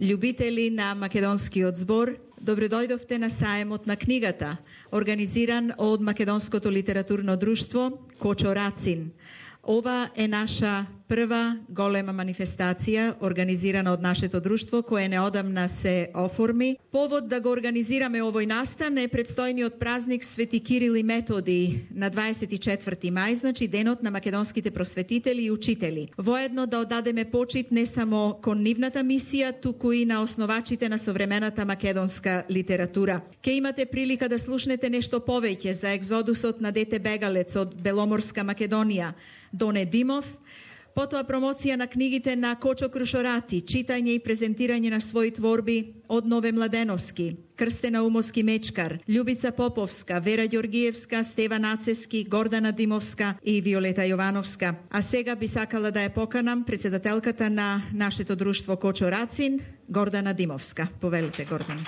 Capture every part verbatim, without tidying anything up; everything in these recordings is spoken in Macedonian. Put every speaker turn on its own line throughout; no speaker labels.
Љубители на македонскиот збор, добредојдовте на саемот на книгата, организиран од Македонското литературно друштво Кочо Рацин. Ова е наша прва голема манифестација организирана од нашето друштво, кое неодамна се оформи. Повод да го организираме овој настан е предстојниот празник Свети Кирил и Методи на дваесет и четврти мај, значи денот на македонските просветители и учители. Воедно да одадеме почит не само кон нивната мисија, туку и на основачите на современата македонска литература. Ке имате прилика да слушнете нешто повеќе за екзодусот на дете бегалец од Беломорска Македонија, Доне Димов, потоа промоција на книгите на Кочо Крушорати, читање и презентирање на своји творби од Нове Младеновски, Крстена Умовски Мечкар, Љубица Поповска, Вера Ѓоргиевска, Стеван Ацевски, Гордана Димовска и Виолета Јовановска. А сега би сакала да ја поканам председателката на нашето друштво Кочо Рацин, Гордана Димовска. Повелите, Гордана.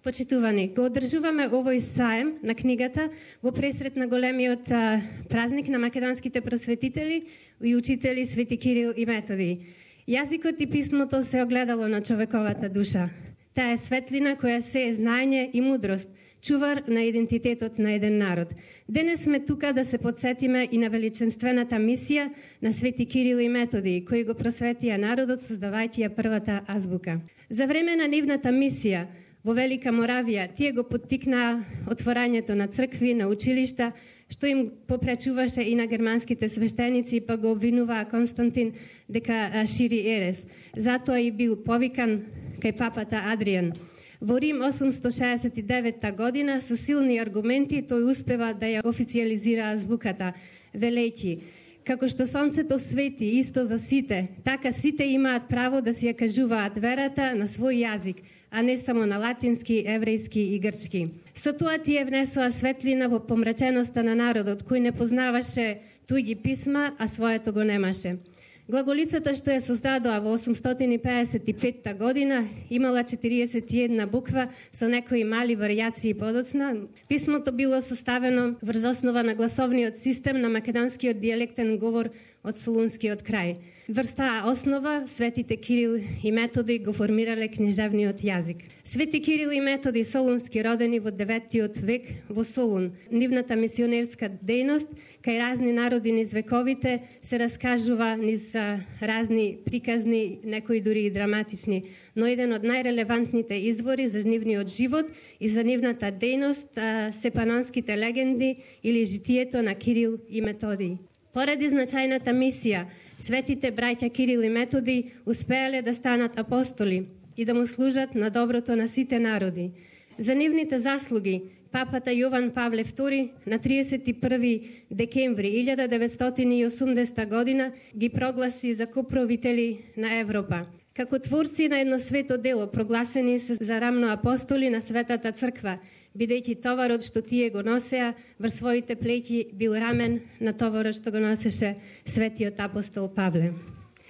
Почитувани, го одржуваме овој саем на книгата во пресрет на големиот а, празник на македонските просветители и учители Свети Кирил и Методи. Јазикот и писмото се огледало на човековата душа. Таа е светлина која се е знаење и мудрост, чувар на идентитетот на еден народ. Денес сме тука да се подсетиме и на величенствената мисија на Свети Кирил и Методи, кои го просветија народот создавајќи ја првата азбука. За време на нивната мисија во Велика Моравија, тие го поттикнаа отворањето на цркви, на училишта, што им попречуваше и на германските свештеници, па го обвинуваа Константин дека шири ерес. Затоа и бил повикан кај папата Адријан. Во Рим осумсто шеесет и девета година, со силни аргументи, тој успева да ја официализира азбуката, велејќи: како што сонцето свети исто за сите, така сите имаат право да си ја кажуваат верата на свој јазик, а не само на латински, еврејски и грчки. Со тоа тие внесоа светлина во помраченоста на народот, кој не познаваше туѓи писма, а своето го немаше. Глаголицата што ја создадоа во осумстотини пеесет и петта година имала четириесет и една буква со некои мали варијации подоцна. Писмото било составено врз основа на гласовниот систем на македонскиот дијалектен говор од Солунскиот крај. Врз таа основа светите Кирил и Методи го формирале книжевниот јазик. Свети Кирил и Методи Солунски, родени во деветиот век во Солун. Нивната мисионерска дејност кај разни народи низ вековите се раскажува низ разни приказни, некои дури и драматични, но еден од најрелевантните извори за нивниот живот и за нивната дејност се панонските легенди или житието на Кирил и Методи. Поради значајната мисија, светите браќа Кирил и Методи успеале да станат апостоли и да му служат на доброто на сите народи. За нивните заслуги, папата Јован Павле втори на триесет и први декември илјада деветстотини и осумдесета година ги прогласи за коправители на Европа. Како творци на едно свето дело, прогласени се за рамно апостоли на Светата Црква, бидејќи товарот што тие го носеа врз своите плеќи бил рамен на товарот што го носеше светиот апостол Павле.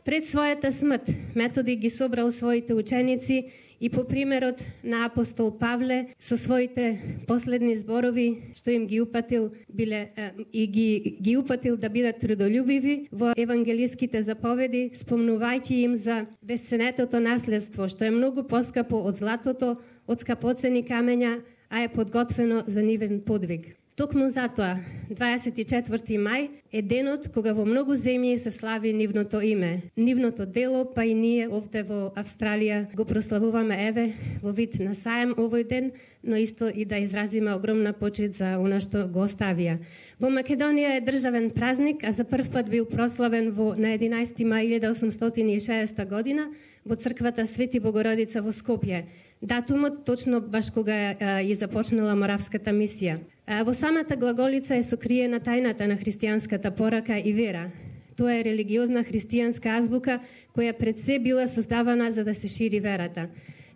Пред својата смрт, Методи ги собрал своите ученици и по примерот на апостол Павле со своите последни зборови што им ги упатил биле е, и ги ги упатил да бидат трудолюбиви во евангелиските заповеди, спомнувајќи им за бесценетото наследство што е многу поскапо од златото, од скапоцени камења, а е подготвено за нивен подвиг. Токму затоа, дваесет и четврти мај е денот кога во многу земји се слави нивното име, нивното дело, па и ние овде во Австралија го прославуваме еве во вид на саем овој ден, но исто и да изразиме огромна почит за она што го оставија. Во Македонија е државен празник, а за прв пат бил прославен во на единаесети мај илјада осумстотини и шеесета година во црквата Свети Богородица во Скопје. Датумот точно баш кога и започнала Моравската мисија. Во самата глаголица е сокриена тајната на христијанската порака и вера. Тоа е религиозна христијанска азбука која пред се била создавана за да се шири верата.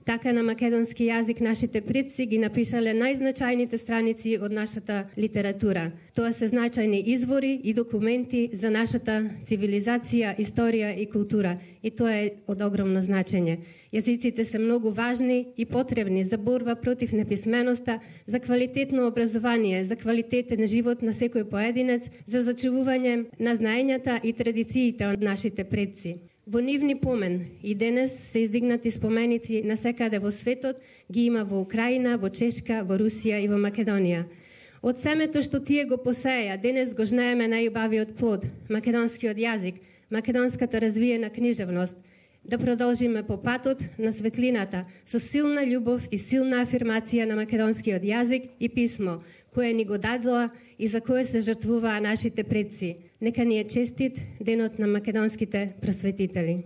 Така на македонски јазик нашите предци ги напишале најзначајните страници од нашата литература. Тоа се значајни извори и документи за нашата цивилизација, историја и култура. И тоа е од огромно значење. Јазиците се многу важни и потребни за борба против неписменоста, за квалитетно образование, за квалитетен живот на секој поединец, за зачувување на знаењата и традициите од нашите предци. Во нивни помен и денес се издигнати споменици на секаде во светот, ги има во Украина, во Чешка, во Русија и во Македонија. Од семето што тие го посеја, денес го жнееме најубавиот плод, македонскиот јазик, македонската развиена книжевност, да продолжиме по патот на светлината со силна љубов и силна афирмација на македонскиот јазик и писмо, кое ни го дадоа и за кое се жртвуваа нашите предци. Нека ни е честит денот на македонските просветители.